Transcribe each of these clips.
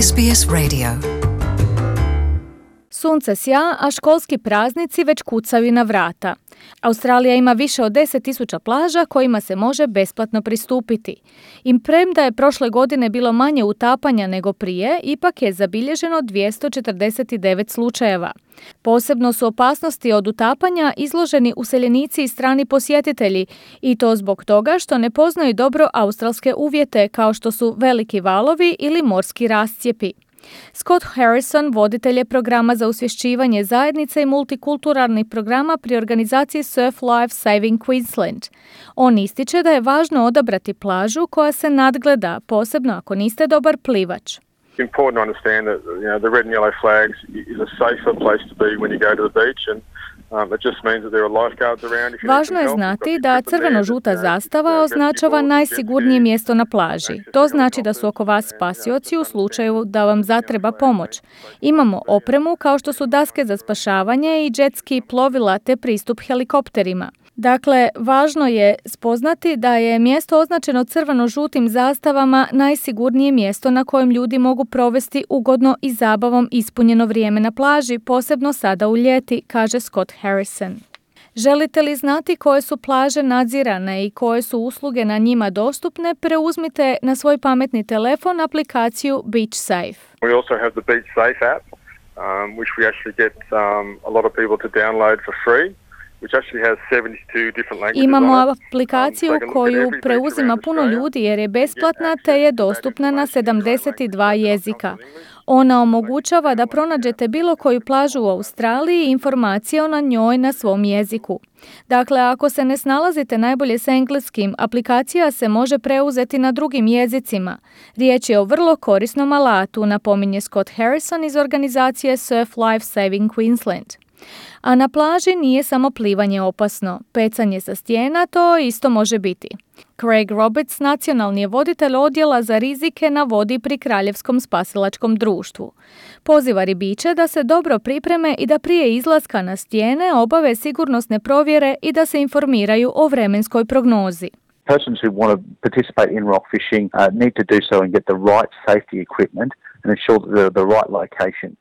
SBS Radio. Sunce sja, a školski praznici već kucaju na vrata. Australija ima više od 10.000 plaža kojima se može besplatno pristupiti. I premda je prošle godine bilo manje utapanja nego prije, ipak je zabilježeno 249 slučajeva. Posebno su opasnosti od utapanja izloženi useljenici i strani posjetitelji, i to zbog toga što ne poznaju dobro australske uvjete kao što su veliki valovi ili morski rascijepi. Scott Harrison, voditelj je programa za osvješćivanje zajednice i multikulturalnih programa pri organizaciji Surf Life Saving Queensland. On ističe da je važno odabrati plažu koja se nadgleda, posebno ako niste dobar plivač. It's important to understand that the red and yellow flags is a safer place to be when you go to the beach, and it just means that there are lifeguards around. Važno je znati da crveno-žuta zastava označava najsigurnije mjesto na plaži. To znači da su oko vas spasioci u slučaju da vam zatreba pomoć. Imamo opremu kao što su daske za spašavanje i džetski plovila te pristup helikopterima. Dakle, važno je spoznati da je mjesto označeno crveno-žutim zastavama najsigurnije mjesto na kojem ljudi mogu provesti ugodno i zabavom ispunjeno vrijeme na plaži, posebno sada u ljeti, kaže Scott Harrison. Želite li znati koje su plaže nadzirane i koje su usluge na njima dostupne, preuzmite na svoj pametni telefon aplikaciju Beach Safe. We also have the Beach Safe app, which we actually get a lot of people to download for free. Imamo aplikaciju koju preuzima puno ljudi jer je besplatna te je dostupna na 72 jezika. Ona omogućava da pronađete bilo koju plažu u Australiji i informacije o njoj na svom jeziku. Dakle, ako se ne snalazite najbolje s engleskim, aplikacija se može preuzeti na drugim jezicima. Riječ je o vrlo korisnom alatu, napominje Scott Harrison iz organizacije Surf Life Saving Queensland. A na plaži nije samo plivanje opasno. Pecanje sa stijena to isto može biti. Craig Roberts, nacionalni je voditelj odjela za rizike na vodi pri Kraljevskom spasilačkom društvu. Poziva ribiče da se dobro pripreme i da prije izlaska na stijene obave sigurnosne provjere i da se informiraju o vremenskoj prognozi. Persons who want to participate in rock fishing need to do so and get the right safety equipment and ensure the right location.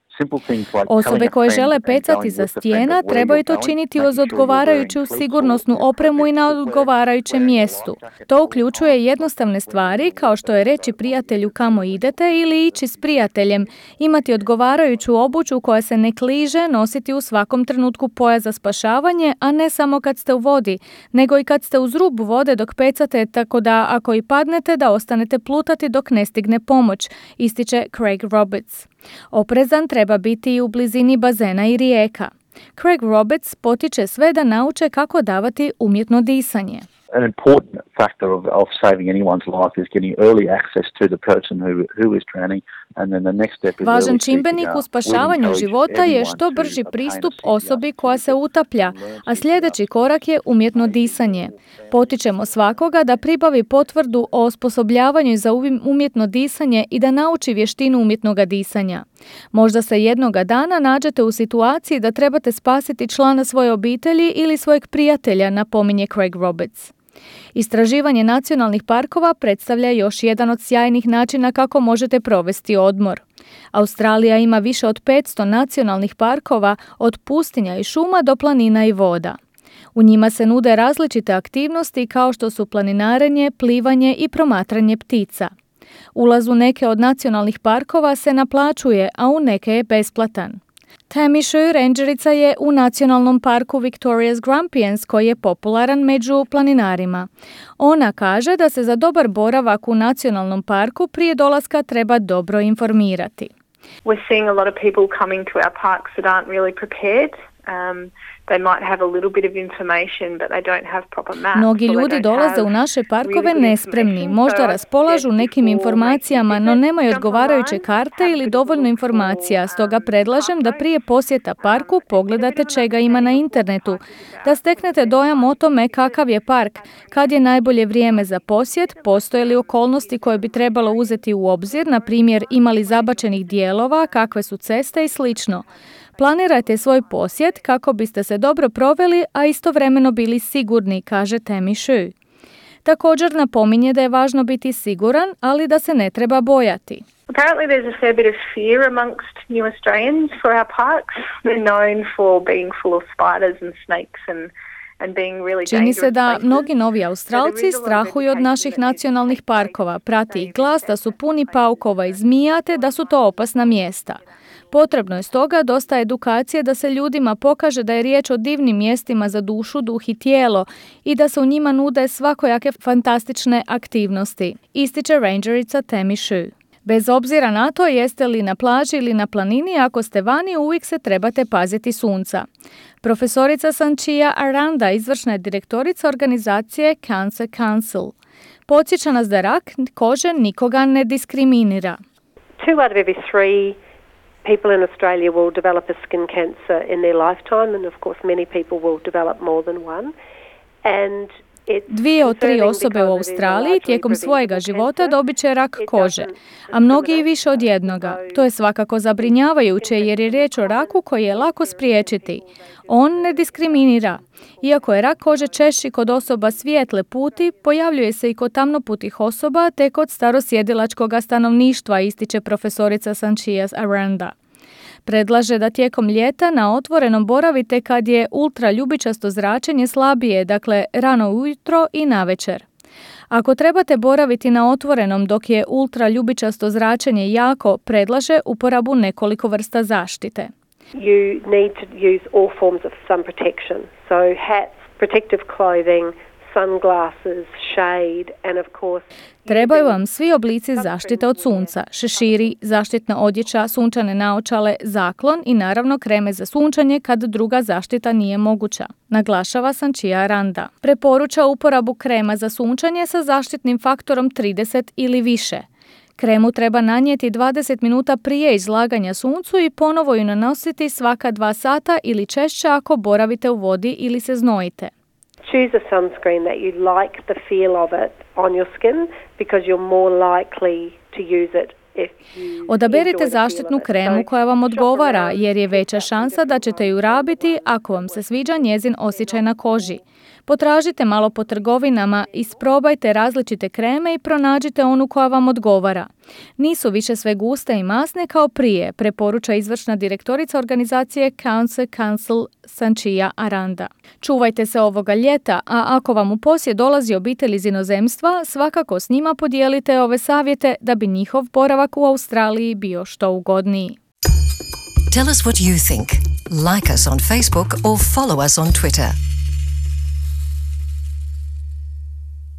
Osobe koje žele pecati za stijena trebaju to činiti uz odgovarajuću sigurnosnu opremu i na odgovarajućem mjestu. To uključuje jednostavne stvari kao što je reći prijatelju kamo idete ili ići s prijateljem, imati odgovarajuću obuću koja se ne kliže, nositi u svakom trenutku pojas za spašavanje, a ne samo kad ste u vodi, nego i kad ste uz rub vode dok pecate, tako da ako i padnete da ostanete plutati dok ne stigne pomoć, ističe Craig Roberts. Oprezan treba biti i u blizini bazena i rijeka. Craig Roberts potiče sve da nauče kako davati umjetno disanje. An important factor of saving anyone's life is getting early access to the person who is drowning, and then the next step is Važan čimbenik u spašavanju života je što brži pristup osobi koja se utaplja, a sljedeći korak je umjetno disanje. Potičemo svakoga da pribavi potvrdu o osposobljavanju za umjetno disanje i da nauči vještinu umjetnog disanja. Možda se jednoga dana nađete u situaciji da trebate spasiti člana svoje obitelji ili svojeg prijatelja, napominje Craig Roberts. Istraživanje nacionalnih parkova predstavlja još jedan od sjajnih načina kako možete provesti odmor. Australija ima više od 500 nacionalnih parkova, od pustinja i šuma do planina i voda. U njima se nude različite aktivnosti kao što su planinarenje, plivanje i promatranje ptica. Ulaz u neke od nacionalnih parkova se naplaćuje, a u neke je besplatan. Tammy Shue, rangerica je u nacionalnom parku Victoria's Grampians koji je popularan među planinarima. Ona kaže da se za dobar boravak u nacionalnom parku prije dolaska treba dobro informirati. We're seeing a lot of people coming to our parks that aren't really prepared. They might have a little bit of information, but they don't have proper maps. Mnogi ljudi dolaze u naše parkove nespremni, možda raspolažu nekim informacijama, no nemaju odgovarajuće karte ili dovoljno informacija, stoga predlažem da prije posjeta parku pogledate čega ima na internetu, da steknete dojam o tome kakav je park, kad je najbolje vrijeme za posjet, postoje li okolnosti koje bi trebalo uzeti u obzir, na primjer ima li zabačenih dijelova, kakve su ceste i slično. Planirajte svoj posjet kako biste se dobro proveli, a istovremeno bili sigurni, kaže Tammy Shue. Također napominje da je važno biti siguran, ali da se ne treba bojati. Apparently there's a fair bit of fear amongst new Australians for our parks. They're known for being full of spiders and snakes and Čini se da mnogi novi Australci strahuju od naših nacionalnih parkova. Prati ih glas da su puni paukova i zmija te da su to opasna mjesta. Potrebno je stoga dosta edukacije da se ljudima pokaže da je riječ o divnim mjestima za dušu, duh i tijelo i da se u njima nude svakojake fantastične aktivnosti, ističe rangerica Tammy Shu. Bez obzira na to jeste li na plaži ili na planini, ako ste vani, uvijek se trebate paziti sunca. Profesorica Sanchia Aranda, izvršna je direktorica organizacije Cancer Council. Podsjeća nas da rak kože nikoga ne diskriminira. 2 out of every 3 people in Australia will develop a skin cancer in their lifetime, and of course many people will develop more than one. And 2 od 3 osobe u Australiji tijekom svojega života dobit će rak kože, a mnogi i više od jednoga. To je svakako zabrinjavajuće jer je riječ o raku koji je lako spriječiti. On ne diskriminira. Iako je rak kože češći kod osoba svijetle puti, pojavljuje se i kod tamnoputih osoba te kod starosjedilačkog stanovništva, ističe profesorica Sanchia Aranda. Predlaže da tijekom ljeta na otvorenom boravite kad je ultraljubičasto zračenje slabije, dakle rano ujutro i navečer. Ako trebate boraviti na otvorenom dok je ultraljubičasto zračenje jako, predlaže uporabu nekoliko vrsta zaštite. You need to use all forms of sun protection, so hats, protective clothing, sunglasses, shade and of course trebaju vam svi oblici zaštite od sunca, šeširi, zaštitna odjeća, sunčane naočale, zaklon i naravno kreme za sunčanje kad druga zaštita nije moguća, naglašava Sanchia Aranda. Preporuča uporabu krema za sunčanje sa zaštitnim faktorom 30 ili više. Kremu treba nanijeti 20 minuta prije izlaganja suncu i ponovo ju nanositi svaka 2 sata ili češće ako boravite u vodi ili se znojite. Choose a sunscreen that you like the feel of it on your skin because you're more likely to use it. Odaberite zaštitnu kremu koja vam odgovara jer je veća šansa da ćete ju rabiti ako vam se sviđa njezin osjećaj na koži. Potražite malo po trgovinama, isprobajte različite kreme i pronađite onu koja vam odgovara. Nisu više sve guste i masne kao prije, preporuča izvršna direktorica organizacije Cancer Council Sanchia Aranda. Čuvajte se ovoga ljeta, a ako vam u posjet dolazi obitelj iz inozemstva, svakako s njima podijelite ove savjete da bi njihov boravak u Australiji bio što ugodniji. Tell us what you think. Like us on Facebook or follow us on Twitter.